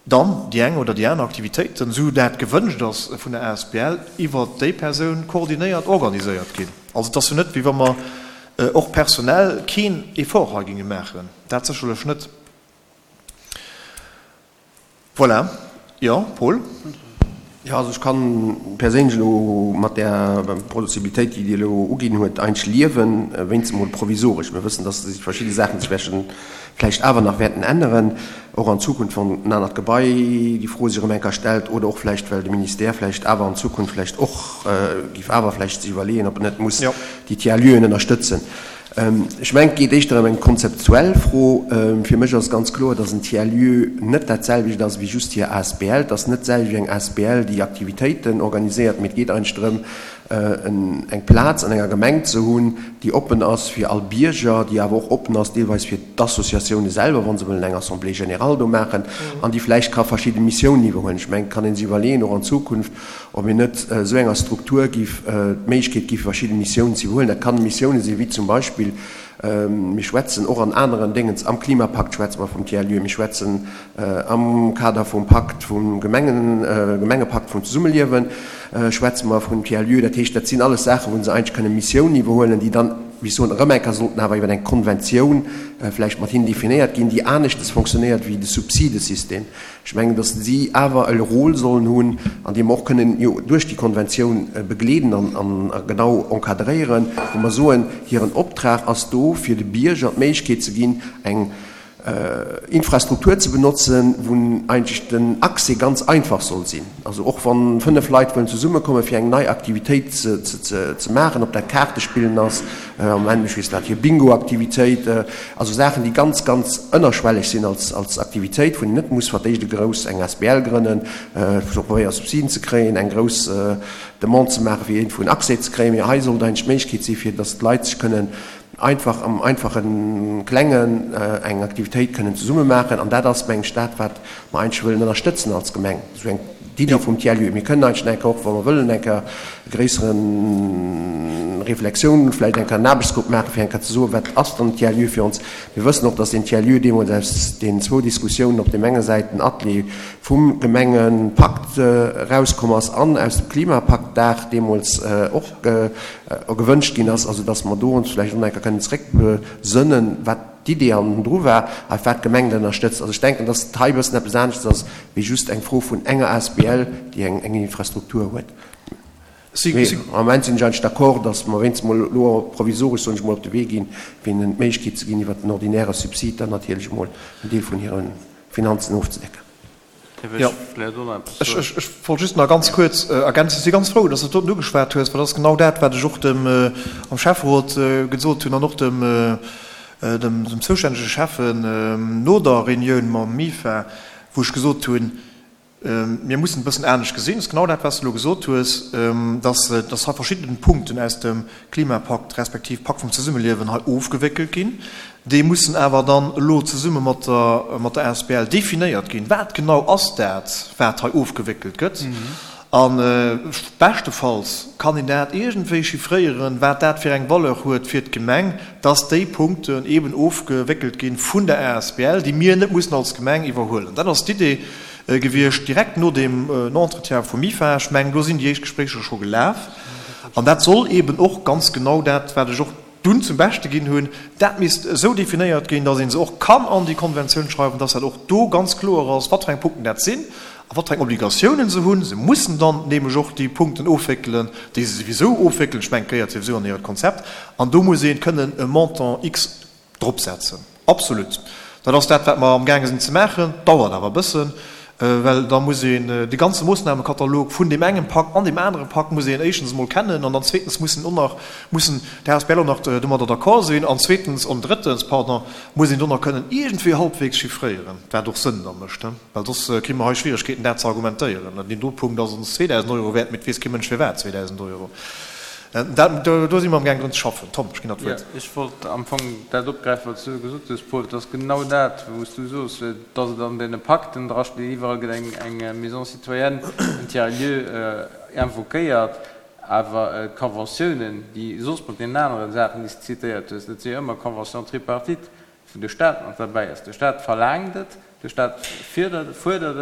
dann déi eng oder déi aner Aktivitéiten, esou dat gewënscht ass vun der asbl, iwwert déi Persoun koordinéiert, organiséiert ginn. Also et ass jo net, wéi wa mer och personell keen Effort hei géinge maachen, dat sécherlech net. Voilà. Jo, Paul? Jo, also ech kann perséinlech elo mat där Possibilitéit, déi Dir elo uginn huet, eigentlech liewen, wéinst emol provisoresch. Mir wëssen, dass sech verschidde Saachen sech wäerten vläicht awer nach wäerten änneren, och an Zukunft, wann en anert Gebai déi Fro sech erëm eng Kéier stellt oder och vläicht, well de Ministère vläicht awer an Zukunft vläicht och géif awer vläicht sech iwwerleeën, ob en net muss déi Tiers-lieuxen ënnerstëtzen. Ech mengen, et geet éischter ëm eng konzeptuell Fro. Fir mech ass ganz kloer, dass en Tiers-lieu net dat selwecht ass wéi just hir asbl. Et ass net d'selwecht wéi eng asbl, déi Aktivitéiten organiséiert, mee et geet eigentlech drëm, eng Plaz an enger Gemeng ze hunn, déi oppen ass fir all Bierger, déi awer och oppen ass deelweis fir d'Associatioune selwer, wa se wëllen eng Assemblée générale do maachen, an déi vläicht ka verschidde Missiounen iwwerhuelen. Ech mengen, et kann ee sech iwwerleeën, och an Zukunft, ob een net esou enger Struktur géif d'Méiglechkeet gi fir verschidde Missiounen ze iwwerhuelen. Dat kann Missiounen sinn, wéi zum Beispill, mir schwätzen och an aneren Déngens, am Klimapakt schwätze mer vum Tiers-lieu, mir schwätzen am Kader vum Pakt vum Gemengen, Gemengepakt vum Zesummeliewen schwätze mer vum Tiers-lieu. Dat heescht, dat sinn alles Saachen, wou se eigentlech kënne Missiounen iwwerhuelen, déi dann, wéi ech soen, erëm eng Kéier sollten awer iwwer eng Konventioun vläicht mat hinnen definéiert ginn, déi aneschtes fonctionnéiert wéi de Subsidesystem. Ech mengen, datt si awer e Rôle sollen hunn, an dee mer och kënnen jo duerch déi Konventioun begleeden an genau encadréieren, wou mer soen, hiren Optrag ass do, fir de Bierger d'Méiglechkeet ze ginn, eng Infrastruktur ze benotzen, wou eigentlech den Accès ganz einfach soll sinn. Also och wa fënnef Leit wëllen zesummekommen, fir eng nei Aktivitéit ze maachen, ob dat Kaartespillen ass, am Moment, ech weess net, hir Bingo-Aktivitéit, also Saachen, déi ganz, ganz ënnerschwelleg sinn als, als Aktivitéit, wou een net muss fir d'éischt e grouss, eng asbl grënnen, fir probéiere Subsiden ze kréien, eng grouss Demande ze maachen, fir iergendwou en Accès ze kréien. Mee hei sollt eigentlech d'Méiglechkeet si fir datt d'Leit sech kënnen einfach am einfachen Klengen eng Aktivitéit kënnen zesumme maachen. An dat ass, mengen ech, dat, wat mer eigentlech wëllen ënnerstëtzen als Gemeng, esou eng d'Iddi vum Tiers-lieu. Mir kënnen eigentlech eng Kéier och, wa mer wëllen, eng Kéier e gréisseren Reflexioun, vläicht eng Kéier en Aarbechtsgrupp maachen, fir eng Kéier ze soen, wat ass dann den Tiers-lieu fir ons. Mir wëssen och, dass deen Tiers-lieu deemools aus deenen zwou Diskussiounen op deem enge Säit den Atelier vum Gemengepakt erauskomm ass an aus dem Klimapaktdag deemools och gewënscht ginn ass, also dass mer do ons vläicht och nach eng Kéier kënnen zréckbesënnen, wat d'Idee hannendru war a wat d'Gemeng dat ënnerstëtzt. Also ech denken, dass et hei e bëssen eppes aneschters ass wéi just eng Fro vun enger asbl, déi eng Infrastruktur huet. Mee am Moment sinn ech eigentlech d'accord, dass mer wéinstens mol elo provisoresch, soen ech mol, op de Wee ginn, fir hinnen d'Méiglechkeet ze ginn, iwwert den ordinäre Subsid dann natierlech emol en Deel vun hire Finanzen ofzedecken. Jo, ech wollt just nach ganz kuerz ergänzen, Ech si ganz frou, dass s de dat doten ugeschwat hues, well dat ass genau dat, wat ech och dem am Schäfferot gesot hunn an och dem dem zoustännege Schäffen no der Reunioun mam MIFA, wou ech gesot hunn, Mir mussen e bëssen anescht gesinn. Dat ass genau dat, wat s de elo gesot hues, dass dass hei verschidden Punkten aus dem Klimapakt respektiv Pakt vum Zesummeliewen hei ofgewéckelt ginn. Déi mussen awer dann elo zesumme mat der mat der asbl definéiert ginn. Wat genau ass dat, wat hei ofgewéckelt gëtt? A beschtefalls kann een dat iergendwéi chiffréieren, wat dat fir eng Valeur huet fir d'Gemeng, dass déi Punkten eeben ofgewéckelt gi vun der asbl, déi mir net mussen als Gemeng iwwerhuelen. Dat ass d'Idee gewiescht direkt no deem Entretien vum MIFA. Ech mengen, do sinn déi éischt Gespréicher scho gelaf. An dat soll eeben och ganz genau dat, wat ech och dunn zum Beschte ginn hunn, dat misst esou definéiert ginn, dass ee se och kann an déi Konventioun schreiwen, dass dat och do ganz kloer ass, wat fir eng Punkten dat sinn a wat fir eng Obligatiounen se hunn. Se mussen dann nämlech och déi Punkten ofwéckelen, déi se souwisou ofwéckelen. Ech mengen, et gehéiert souwisou an hiert Konzept. An do muss ee kënnen e Montant X dropsetzen. Absolut. Dat ass dat, wat mer amgaange sinn ze maachen. Dauert awer e bëssen, well da muss een de ganze Moossnamekatalog vun deem engem Pak an deem anere Pak muss een éischtens emol kennen an dann zweetens mussen och nach, mussen d'ASBL och nach domadder d'accord sinn an zweetens, an drëttens, pardon, muss een do nach kënnen iergendwéi halbwegs chiffréieren, wat och Sënn da mécht, well soss kri mer hei Schwieregkeeten, dat ze argumentéieren. Deen do Punkt ass ons zweedausend Euro wäert, mee et weess kee Mënsch firwat zweedausend Euro. Dat, do si mer amgaang drun ze schaffen. Tom, ech ginn der d'Wuert. Jo, ech wollt am Fong dat opgräifen, wat s du gesot hues, Paul. Et ass genau dat, wou s du soos, dass et an deene Pakten drasteet, iwwerall gëtt eng Maison citoyenne, en Tiers-lieu invoquéiert, awer d'Conventiounen, déi soss mat deenen anere Saachen, déi s de zitéiert hues, dat si jo ëmmer Conventions tripartites, wou de Stat mat derbäi ass. De Stat verlaangt et, de Stat fuerdert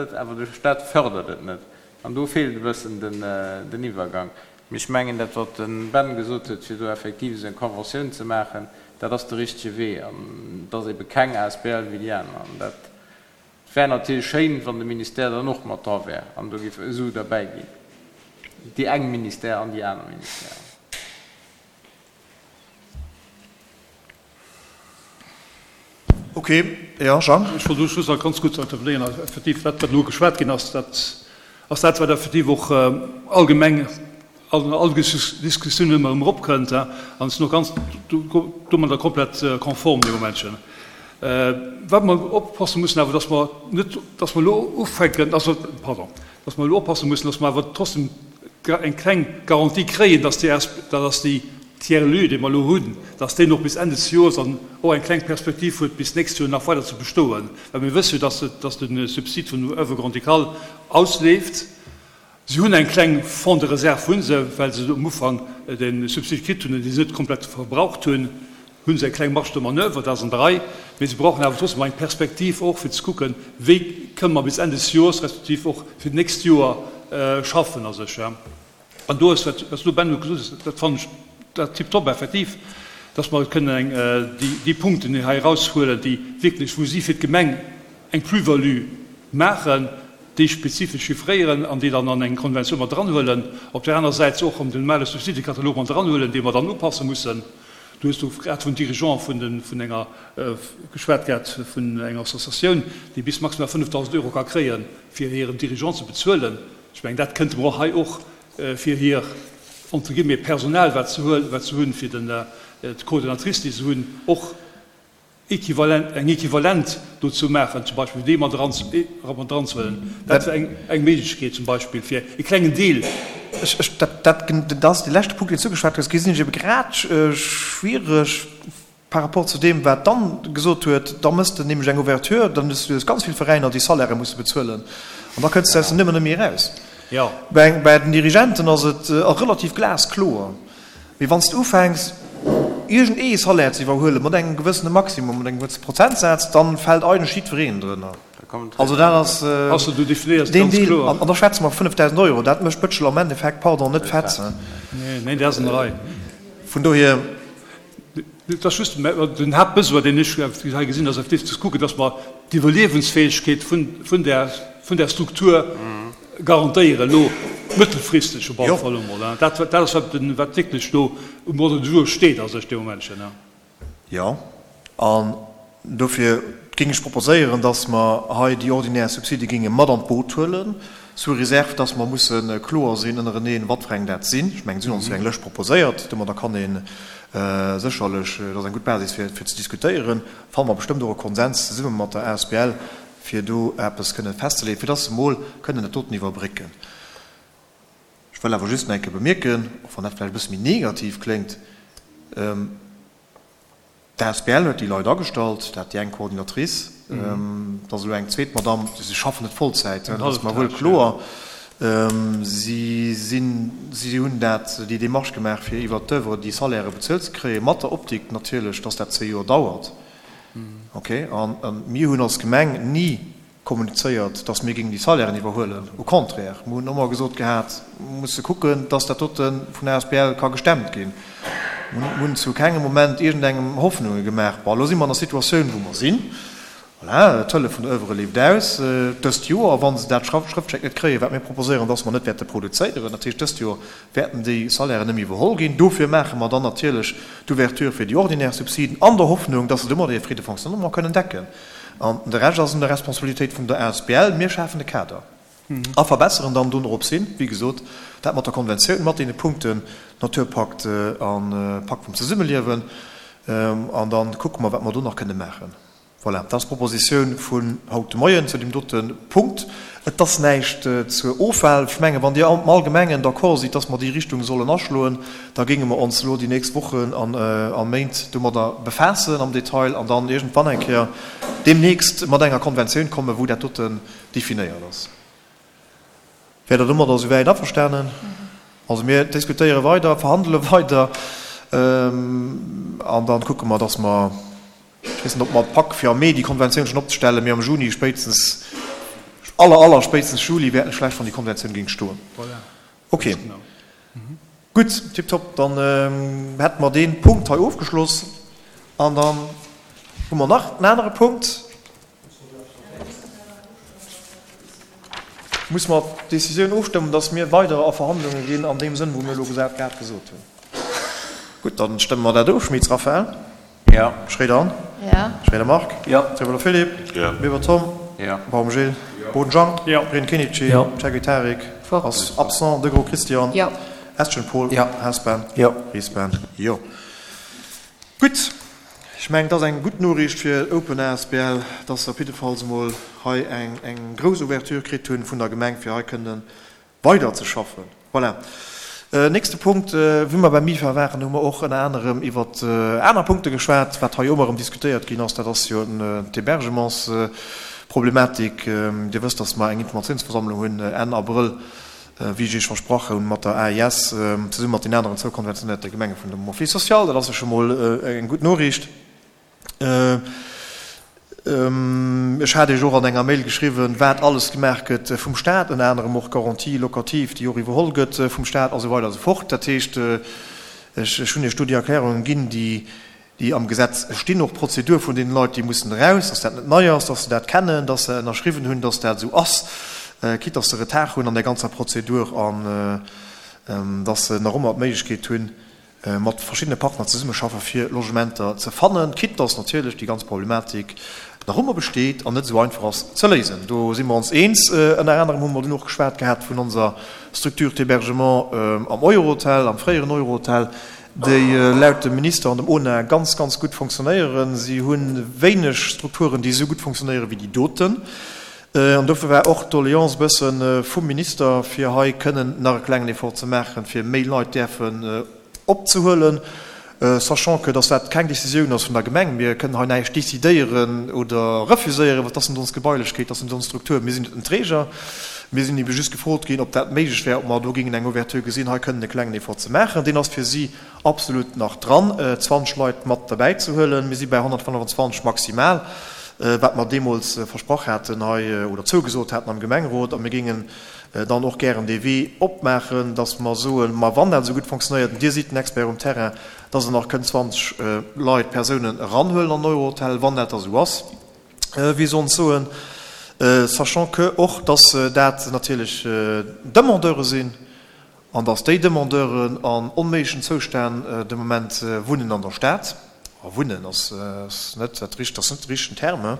et, awer de Stat fërdert et net. An do feelt e bëssen den Iwwergang. Mee ech mengen, dat, wat de Ben gesot huet, fir do effektiv esou eng Conventioun ze maachen, dat ass de richtege Wee. An et ass ebe keng asbl wéi déi aner. An dat wär natierlech schéin, wann de Ministère dann och mat dra wär an do géif esou derbäi ginn, déi eng Ministère an déi aner Ministère. Ok, jo, Jean? Ech wollt do just nach ganz kuerz intervenéieren. Also effektiv, dat, wat elo geschwat ginn ass, dat ass dat, wat effektiv och allgemeng an all Diskussioun ëmmer erëm eropkënnt, an ech sinn och ganz domadder komplett konform dee Momentchen. Wat mer oppasse mussen awer, dass mer net, dass mer elo ufänken, also, pardon, dass mer elo oppasse mussen, dass mer awer trotzdem eng kleng Garantie kréien, dass déi, dass déi Tiers-lieu, dee mer elo hunn, dass deen och bis Enn des Joers an och eng kleng Perspektiv huet, bis d'nächst Joer nach weider ze bestoen. Well mir wësse jo, dass, dass de Subsid vun der Oeuvre grand-ducale ausleeft. Si hunn eng kleng Fonds de réserve, hu se, well se um Ufank de Subsid kritt hunn an dee se net komplett verbraucht hunn, hu se eng kleng Marge de manoeuvre, dat ass an der Rei. Mee se brauchen awer trotzdem eng Perspektiv och, fir ze kucken, wéi kënne mer bis Enn des Joers respektiv och fir d'nächst Joer schaffen a sech. An do ass, wat s du, Ben, elo gesot hues, dat fannen ech dat tiptop effektiv, dass mer kënnen eng déi Punkten hei eraushuelen, déi wierklech, wou si fir d'Gemeng eng Plus-value maachen, déi spezifesch chiffréieren an déi dann an eng Konventioun mat eranhuelen, op där aner Säit se och erëm den normale Subsidekatalog mat eranhuelen, dee mer dann upasse mussen. Du hues do grad vun Dirigeant vun de vun enger geschwat gehat, vun enger Associatioun, déi bis maximal fënnefdausend Euro ka kréien, fir hiren Dirigeant ze bezuelen. Ech mengen, dat kënnte mer och hei och fir hir entre guillemets Personal, wat se huel wat se hunn, fir den d'Coordinatrice, déi se hunn, och Equivalent, eng Equivalent dozou maachen, zum Beispill déi mat eran, mat eranzehuelen. Dat wär eng, eng Méiglechkeet zum Beispill fir e klengen Deel. Ech, ech, dat, dat, dat ass dee leschte Punkt, deen s du ugeschwat hues, gesinn ech ebe grad schwiereg par rapport zu deem, wat d'Anne gesot huet. Da mëss de nämlech eng Ouverture, dann hues du ganz vill Veräiner, déi Salairë musse bezuelen an da kënns de aus der Nummer net méi eraus. Bei, bei den Dirigenten ass et relativ glaskloer. Mee wann s de ufänks, iergend ee Salaire ze iwwerhuelen, mat engem gewëssene Maximum, mat engem gewëssene Prozentsaz, dann fält eigentlech jiddwereen drënner. Also dat ass deen Deel, an da schwätze mer vu fënnefdausend Euro, dat mécht d'Bëtschel am Endeffekt, pardon, net fett. Vun dohier. Et ass just den Haaptbesoin, deen ech hei gesinn, ass effektiv ze kucken, dass mer d'Iwwerliewensfäegkeet vun där Struktur garantéieren, elo mëttelfristeg op alle Fall emol. Dat ass, wat wierklech do um Ordre du jour steet a sech dee Momentchen. Jo, an dofir géing ech proposéieren, dass mer hei déi ordinär Subside géinge mat an d'Boot huelen, sous réserve, dass mer musse kloer sinn ënnereneen, wat fir eng dat sinn. Ech mengen, si hunn ons jo eng Lëscht proposéiert. Domadder kann ee sécherlech, dat ass eng gutt Basis fir ze diskutéieren, fanne mer bestëmmt och e Konsens zesumme mat der asbl, fir do eppes kënnen festzeleeën, fir dass se emol kënnen dat doten iwwerbrécken. Ech wëll awer just nach eng Kéier bemierken, och wann dat vläicht e bësse méi negativ kléngt, D'asbl huet déi Leit agestallt, dat déi eng Coordinatrice, et ass elo eng zweet Madamm, si schaffen net Vollzäit, dat ass mer wuel kloer. Si sinn, si hunn dat, déi Démarche gemaach, fir iwwert d'Oeuvre déi Salairë bezuelt ze kréien, mat der Optik natierlech, dass dat zwee Joer dauert. Ok, an mir hunn als Gemeng ni kommunizéiert, dass mir géingen déi Salairen iwwerhuelen. Au contraire, mir hunn ëmmer gesot gehat, mir musse kucken, dass dat dote vun der asbl ka gestemmt ginn. Mir hunn zu kengem Moment iergendengem Hoffnunge gemaach. Bon, elo si mer an der Situatioun, wou mer sinn. Voilà, d'Hëllef vun der Oeuvre leeft aus dëst Joer. Wa se dat Schrëftschéck net kréien, wat mir proposéieren, dass mer net wäerte produzéieren, dat heescht, dëst Joer wäerten déi Salairen net méi iwwerholl ginn. Dofir maache mer dann natierlech d'Ouverture fir déi ordinär Subsiden an der Hoffnung, dass se domadder hir Frais de fonctionnement kënnen decken. An de Rescht ass un der Responsabilitéit vun der asbl. Mir schafen de Kader a verbesseren dann donoropshin, wéi gesot, dat mat der Konventioun, mat deene Punkten Naturpakt a Pakt vum Zesummeliewen. An da kucke mer, wat mer do nach kënne maachen. Voilà, dat ass d'Propositioun vun haut de Moien zu deem dote Punkt. Et ass näischt zur Ofwahl. Ech mengen, wann Dir am Allgemengen d'accord sidd, dass mer déi Richtung sollen aschloen, da géinge mer ons elo déi nächst Wochen a Méint domadder befaassen am Detail an dann iergendwann eng Kéier deemnächst mat enger Konventioun kommen, wou dat doten definéiert ass. Wäert Der domadder esouwäit averstanen? Also mir diskutéiere weider, verhandele weider an da kucke mer, dass mer, ech weess net, ob mer et packe fir am Mee déi Konventioun schonn opzestellen, mee am Juni spéitstens, aller, aller spéitstens Juli wäert net schlecht, wann déi Konventioun géing stoen. Ok, gutt, tiptop, dann hätte mer dee Punkt hei ofgeschloss an dann hu mer nach en anere Punkt. Muss mer d'Décisioun ofstëmmen, dass mir weider a Verhandlunge ginn an deem Sënn, wou mir elo grad gesot hunn? Gutt, da stëmme mer dat of. Schmitz Raphaël? Jo. Schroeder Anne? Jo. Schroeder Marc? Jo. Trevolo Philippe? Jo. Weber Tom? Jo. Baum Gilles? Jo. Boden Jean? Jo. Breen Kenichi? Jo. Ceguy Tarik? Fort. Ass absent. Degros Christian? Jo. Estgen Paul. Jo. Haspan. Jo. Ries Ben. Jo. Gutt. Ech mengen, et ass eng gutt Noriicht fir Open asbl, dass se op jiddefalls emol hei eng, eng grouss Ouverture kritt hunn vun der Gemeng, fir hei kënnen weiderzeschaffen. Voilà. Nächste Punkt, Wéi mer beim MIFA waren, hu mer och ënner anerem iwwer aner Punkte geschwat. Wat hei ëmmer erëm diskutéiert ginn ass, dat ass jo d'Hébergementsproblematik. Dir wësst, dass mer eng Informatiounsversammlung hunn Enn Abrëll, wéi ech Iech versprach hunn, mat der A I S, zesumme mat den aneren zwou konventionéierte Gemenge vun dem Office social. Dat ass jo scho mol eng gutt Noriicht. Ech hat Iech och an enger Mail geschriwwen, wat alles gemaach gëtt vum Stat, ënner anerem och d'Garantie locative, déi och iwwerholl gëtt vum Stat a sou weider a sou fort. Dat heescht, ech hunn Iech do déi Erklärungen ginn, déi am Gesetz stinn, och d'Prozedur vun deenen Leit, déi mussen eraus, dass dat net nei ass, dass se dat kennen, dass se ënnerschriwwen hunn, dass dat esou ass, quitte dass se Retard hunn an där ganzer Prozedur an dass se nach ëmmer d'Méiglechkeet hunn, mat verschiddene Partner zesummeschaffen, fir Logementer ze fannen, quitte dass natierlech déi ganz Problematik nach ëmmer besteet an net esou einfach ass ze léisen. Do si mer ons eens. Ënner anerem hu mer dunn och geschwat gehat vun onser Structure d'hébergement am Eurohotel, am fréieren Eurohotel, déi laut dem Minister an dem O N A ganz, ganz gutt fonctionnéieren. Si hu wéineg Strukturen, déi esou gutt fonctionnéieren wéi déi doten. An dofir war och d'Doleance e bësse vum Minister, fir hei kënnen nach e klengen Effort ze maachen, fir méi Leit däerfen opzehuelen, sachant que dass dat keng Décisioun ass vun der Gemeng. Mir kënnen hei näischt décidéieren oder refuséieren, well dat ass net ons Gebailechkeet, dat ass net ons Struktur. Mir sinn net den Träger. Mir sinn ebe just gefrot ginn, ob dat méiglech wär, ob mer do géingen eng Ouverture gesinn, hei kënnen e klengen Effort ze maachen. Deen ass fir si absolut nach dran, zwanzeg Leit mat derbäi ze huelen. Mir si bei honnertfënnefenzwanzeg maximal, wat mer deemools versprach haten hei oder zougesot haten am Gemengerot. A mir géingen dann och gären dee Wee opmaachen, dass mer soen, ma wann dat esou gutt fonctionnéiert, Dir sidd den Expert um Terrain, dass Der nach kënnt zwanzeg Leit, Persounen eranhuelen an den Eurohotel, wann dat da esou ass, wéi se ons soen, sachant que och, dass dat natierlech Demandeure sinn an dass déi Demandeuren an onméiglechen Zoustänn de Moment wunnen an der Stad. A wunnen ass net dat richtegt, ass net de richtegen Terme.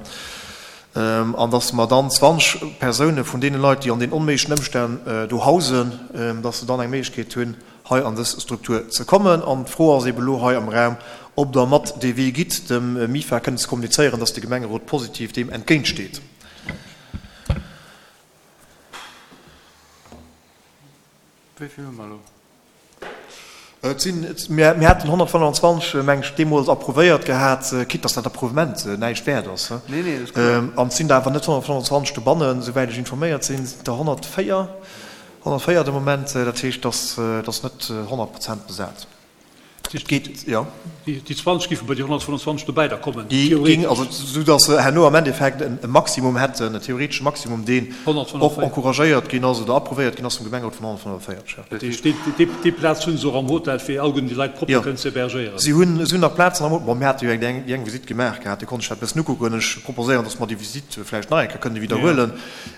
An dass mer dann zwanzeg Persoune vun deene Leit, déi an den onméiglechen Ëmstänn do hausen, dass se dann eng Méiglechkeet hunn, hei an dës Struktur ze kommen. An d'Fro ass eeben elo hei am Raum, ob Der mat dee Wee gitt, dem MIFA kënnen ze kommunizéieren, dass de Gemengerot positiv deem entgéintsteet. Wéi vill hu mer elo? Et sinn, mir haten honnertfënnefenzwanzeg, meng ech, deemools approuvéiert gehat, quitte dass dat Approuvement näischt wäert ass. Nee, nee, dat ass kloer. An et sinn der awer net honnertfënnefenzwanzeg dobannen, souwäit ech informéiert sinn, sinn der honnertvéier, honnertvéier de Moment. Dat heescht, dass ass net honnert Prozent besat. Et geet, jo. Déi zwanzeg géife bei déi honnertfënnefenzwanzeg dobäi da kommen, Déi géing, theoretesch. also esou dass se herno am Endeffekt e Maximum hätten, en theoretesche Maximum, deen och honnertfënnefenvéierzeg. encouragéiert ginn ass oder approuvéiert ginn ass vum Gemengerot vun honnertfënnefenvéierzeg, jo. Dat heescht, déi, déi Plaz hu se och am Hotel, fir alleguerten déi Leit propper Jo. kënnen ze hébergéieren. Si hunn, si hunn nach Plazen am Hotel. Bon, mir hate jo eng, déi eng Visitt gemaach gehat, do konnt ech dat e bëssen ukucken. Ech proposéieren, dass mer déi Visitt vläicht nach eng Kéier kënne widderhuelen.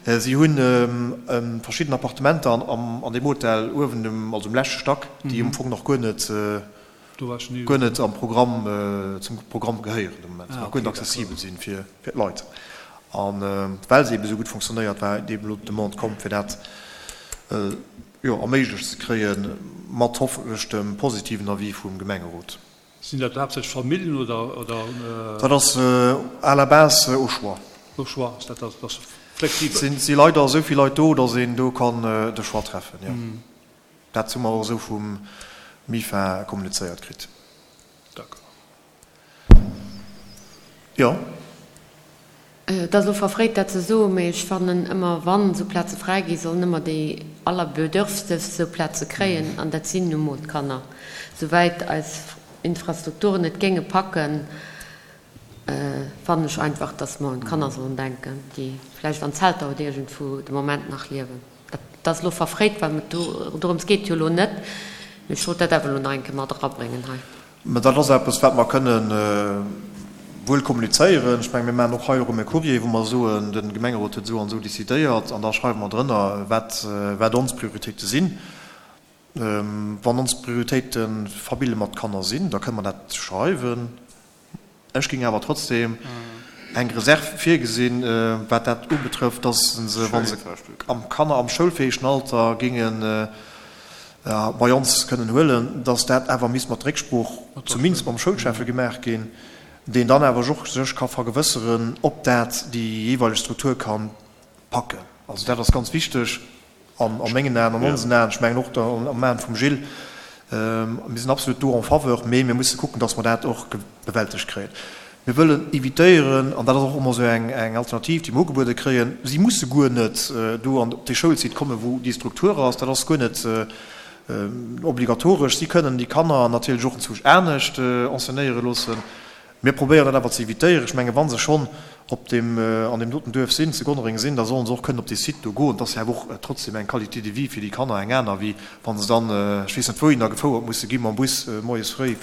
Si hunn verschidden Appartementer an, an deem Hotel uewen um, also um leschte Stack, déi am Fong nach guer net, guer net am Programm, zum Programm gehéieren de Moment, nach guer net accessibel sinn fir d'Leit. A well se eebe sou gutt fonctionnéiert, war eeben elo d'Demande komm, fir dat, jo, erméiglecht ze kréien, mat hoffentlech dem positiven Avis vum Gemengerot. Sinn dat haaptsächlech Familljen oder, oder? Dat ass à la base au choix. Au choix, ass dat, dat ass flexibel. Et si leider esou vill Leit do, datt een do kann de Choix treffen, jo. Dat hu mer och esou vum MIFA kommunizéiert kritt. D'accord. Jo. Et ass elo verfréit dat ze soen, mee ech fannen ëmmer, wann esou Plaze fräi ginn, sollen ëmmer déi allerbedürftegst esou Plaze kréien, an dat sinn nu mol d'Kanner. Souwäit eis Infrastrukturen et géinge packen, fannen ech einfach, dass mer un d'Kanner sollen denken, déi vläicht an Zelter oder iergendwou de Moment nach liewen. Dat ass elo verfréit, well et dorëms geet jo elo net, mee ech wollt dat awer elo nach eng Kéier mat erabréngen hei. Mä dat ass eppes, wat mer kënnen wuel kommunizéieren. Ech mengen, mir maachen och hei erëm e Courrier, wou mer soen, de Gemengerot huet esou an esou décidéiert, an da schreiwe mer drënner, wat, wat ons Prioritéite sinn. Wann ons Prioritéite Famille mat Kanner sinn, da kënne mer dat schreiwen. Ech géing awer trotzdem eng Reserve virgesinn, wat dat ubetrëfft, dass se, wa se am Kanner am schoulfäegen Alter géingen bei ons kënnen huelen, dass dat awer misst mat Récksprooch zumindest mam Schoulschäffe gemaach ginn, deen dann awer och sech ka vergewësseren, ob dat déi jeeweileg Struktur ka packen. Also dat ass ganz wichteg an a mengen Aen, an onsen Aen, ech mengen och am Aen vum Gilles. Mir sinn absolut do en faveur, mee mir musse kucken, dass mer dat och bewältegt kréien. Mir wëllen evitéieren, an dat ass och ëmmer esou eng Alternativ, déi mer ugebuede kréien, si musse guer net do an op dee Schoulsite kommen, wou déi Struktur ass. Dat ass guer net obligatoresch. Si kënnen déi Kanner natierlech och enzwousch anescht enseignéiere loossen. Mir probéieren dat awer ze evitéieren. Ech mengen, wa se schonn op deem, an deem doten Duerf sinn, zu Gonnereng sinn, da sollen se och kënnen op dee Site do goen. Et ass jo awer och trotzdem eng Qualité de vie fir déi Kanner eng aner, wéi wa se dann, ech weess net wouhinner, gefouert musse gi mam Bus moies fréi.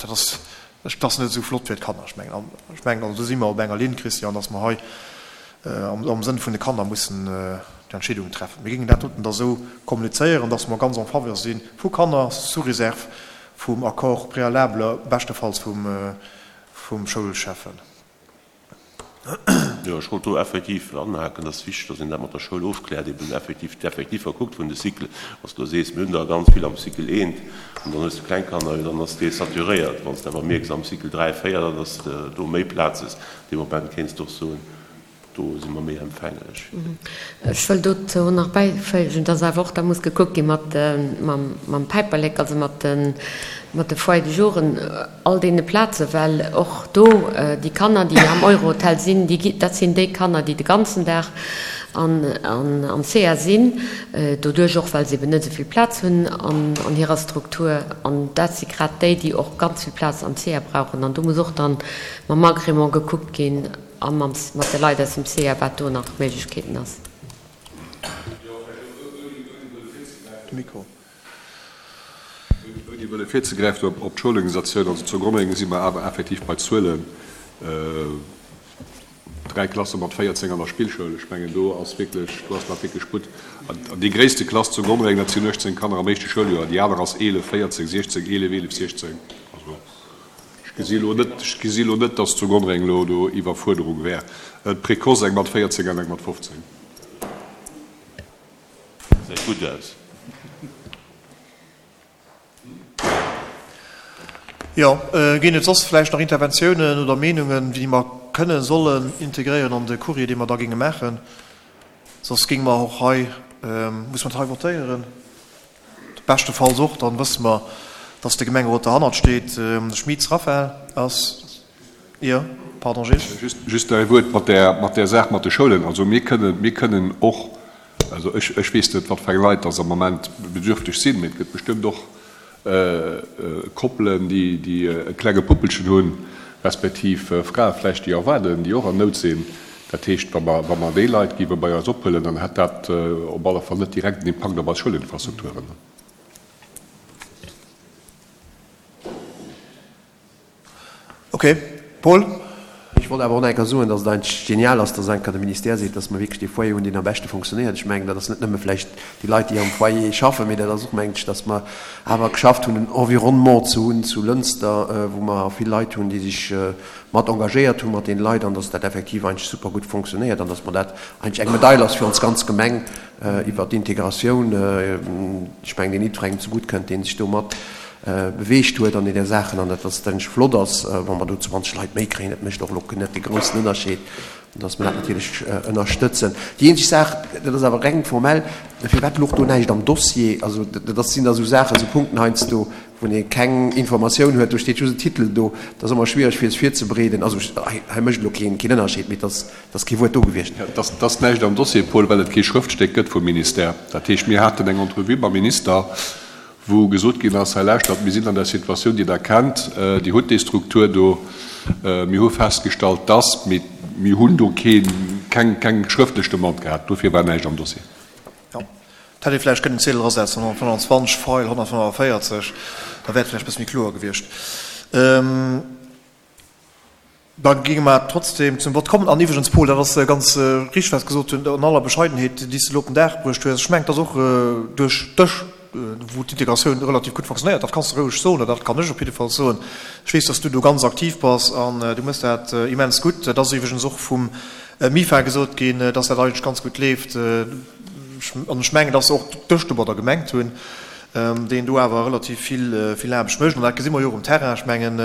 Dat ass, dat ass net esou flott fir d'Kanner. Ech mengen, ech mengen, also do si mer op enger Linn, Christian, dass mer hei am Sënn vun de Kanner mussen d'Entscheedungen treffen. Mir géingen dat doten da esou kommunizéieren, dass mer ganz en faveur si vu Kanner, sous réserve vum Accord préalable, beschtefalls vum, vum Schoulschäffen. Jo, ech wollt do effektiv anhaken, et ass wichteg, dass een dat mat der Schoul ofkläert, eben effektiv d'Effektiver kuckt vun de Cycle. Wann s du elo sees, mir hunn der ganz vill am Cycle eent an dann hues de kleng Kanner, jo dann ass dee saturéiert. Wann s de awer mierks am Cycle dräi, véier, dann ass do méi Plaz hues, dee Moment kéints de och soen, do si mer méi empfänglech. Ech wëll dozou nach bäiféigen, dass awer och da muss gekuckt gi mat mam Päiperlek, also mat de mat de Foyers de jouren, all deene Plazen, well och do déi Kanner, déi am Eurohotel sinn, déi, dat sinn déi Kanner, déi de ganzen Dag an am C A sinn, doduerch och, well se eben net esou vill Plaz hunn an an hirer Struktur. An dat si grad déi, déi och ganz vill Plaz am C A brauchen. An do muss och dann mam Agrément gekuckt ginn a mam, mat de Leit aus dem C A, wat do nach Méiglechkeeten ass. Mikro. Ouni wëlle virzegräifen op, op d'Schoulorganisatioun, also zu Gonnereng si mer awer effektiv bei Zuelen, dräi Klasse mat véierzéng an der Spillschoul. Ech mengen, do ass wierklech, do ass nach wierklech Sputt. An déi gréisste Klass zu Gonnereng, dat sinn uechtzéng Kanner am éischte Schouljoer, déi aner ass eelef, véierzéng, siechzéng, eelef, eelef, siechzéng. Also ech gesi elo net, ech gesi elo net, datt zu Gonnereng elo do Iwwerfuerderung wär. D'Précoce eng mat véierzéng an eng mat fofzéng. Gesäit gutt aus. Jo, ginn et soss vläicht nach Interventiounen oder Meenungen, déi mer kënnen, sollen integréieren an de Courrier, dee mer da géinge maachen? Soss géinge mer och hei, muss mer dat hei votéieren? Beschtefalls och, dann wësse mer, dass de Gemengerot derhannert steet. De Schmitz Raphaël ass, jo, pardon Gilles. Just, just nach ee Wuert mat där, mat där Saach mat de Schoulen. Also mir kënnen, mir kënnen och, also ech, ech weess net, wat fir eng Leit dass am Moment bedürfteg sinn, mee et gëtt bestëmmt och Koppelen, déi, déi e klenge Puppelchen hunn, respektiv Frae vläicht, déi erwaarden, déi och an Nout sinn. Dat heescht, wa mer, wa mer déi Leit géife bei eis ophuelen, dann hätt dat op alle Fall net direkt en Impakt op eis Schoulinfrastrukturen. Okay. Paul? Ech wollt awer och nach eng Kéier soen, dass et eigentlech genial ass, dass eng Kéier de Ministère seet, dass mer wierklech dee Foyer hunn, deen am beschte fonctionnéiert. Ech mengen, dat ass net nëmme vläicht déi Leit, déi am Foyer schaffen, mee dat ass och, mengen ech, dass mer awer geschafft hunn, en Environnement ze hunn zu Lënster, wou mer vill Leit hunn, déi sech mat engagéiert hu mat deene Leit, an dass dat effektiv eigentlech super gutt fonctionnéiert an dass mer dat eigentlech eng Medail ass fir ons ganz Gemeng iwwert d'Integratioun. Ech mengen, deen jiddwerengem zegutt kënnt, dee sech do mat beweegt huet an deene Saachen, an dat dass et eigentlech flott ass, wa mer do zwanzeg Leit méi kréien. Dat mécht och elo net de groussen Ënnerscheed, an dass mer dat natierlech ënnerstëtzen. Déi eenzeg Saach, dat ass awer reng formell, firwat louch do näischt am Dossier? Also dat sinn da sou Saachen, sou Punkten heiansdo, wou ee keng Informatioun huet, do steet just en Titel do, dat ass ëmmer schwiereg fir es virzebereeden. Also hei, hei mécht elo keen, keen Ënnerscheed, mee et ass, et ass kee Wuert do gewiescht. Ja, et ass, et ass näischt am Dossier, Paul, well et kee Schrëftstéck gëtt vum Ministère. Dat heescht, mir haten eng Entrevue mam Minister, wou gesot ginn ass, hei lauschtert, mir sinn an der Situatioun, déi Der kennt, Dir hutt déi Struktur do, mir hu festgestallt, dass, mee mir hunn do keen, keng, keng schrëftlech Demande gehat, dofir war näischt am Dossier. Jo, et hätt ee vläicht kënnen Ziedel erasetzen, honnertfënnwandzwanzeg, Feil honnertfënnefenvéierzeg, da wär et vläicht e bësse méi kloer gewiescht. Da géinge mer trotzdem zum Vott kommen. An iwwregens, Paul, dat ass ganz richteg, wat s de gesot hues, an aller Bescheidenheet, déi s de elo op den Dag bruecht hues. Ech mengen, et ass och duerch dech, wou d'Integratioun relativ gutt fonctionnéiert. Dat kanns de roueg soen, oder dat kann ech op jidde Fall soen. Ech weess, dass du do ganz aktiv bass an du méchs dat immens gutt. Dat ass iwwregens och vum MIFA gesot ginn, dass dat eigentlech ganz gutt leeft. An ech mengen, dass se och dech domadder gemengt hunn. deen do awer relativ vill, vill Aarbecht mécht. An dat gesi mer jo och um Terrain. Ech mengen,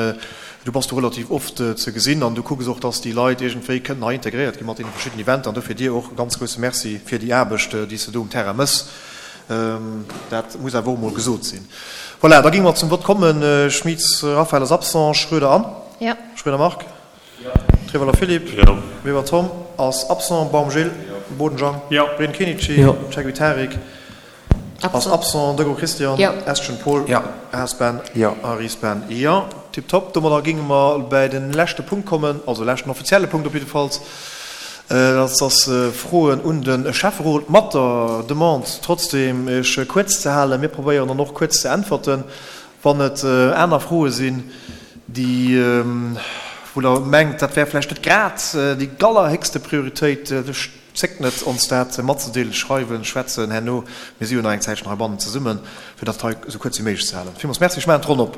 du bass do relativ oft ze gesinn an du kucks och, dass déi Leit iergendwéi kënnen hei integréiert gi mat deene verschiddenen Eventer. An dofir dir och e ganz grousse Merci fir déi Aarbecht, déi s de do um Terrain méchs. Dat muss awer och emol gesot sinn. Voilà, da géinge mer zum Vott kommen. Schmitz Raphaël ass absent, Schroeder Anne? Jo. Schroeder Marc? Jo. Trewelder Philippe? Jo. Weber Tom ass absent, Baum Gilles? Jo. Boden Jean? Jo. Breen Kenichi? Jo. Cheguy Tarik? Ass absent, Degraux Christian? Jo. Estgen Paul? Jo. Haas Ben? Jo. A Ries Ben? Jo. Tiptop. Domadder géinge mer bäi de leschte Punkt kommen, also leschten offizielle Punkt op jiddefalls. Dat ass Froen un de Schäfferot mat der Demande trotzdem Iech kuerz ze halen. Mir probéieren dann och kuerz ze äntwerten. Wann et aner Froe sinn, déi, wou Der mengt, dat wär vläicht net grad déi allerhéchste Prioritéit, zéckt net, ons dat matzedeelen, schreiwen, schwätzen herno. Mir si jo nach eng Zäitchen heibannen zesummen, fir dat hei esou kuerz wéi méiglech ze halen. Villmools Merci. Ech maachen d'Ronn op.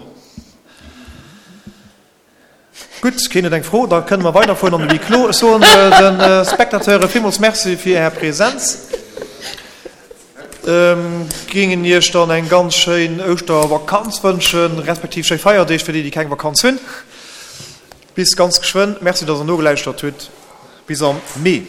Gutt, keen huet eng Fro, da kënne mer weiderfueren an de Huis clos. Ech soen de Spectateure villmools Merci fir Är Präsenz. Géingen Iech dann eng ganz schéin Ouschtervakanz wënschen, respektiv schéi Feierdeeg fir déi, déi keng Vakanz hunn. Bis ganz geschwënn. Merci, dass Der nogelauschtert hutt. Bis am Mee.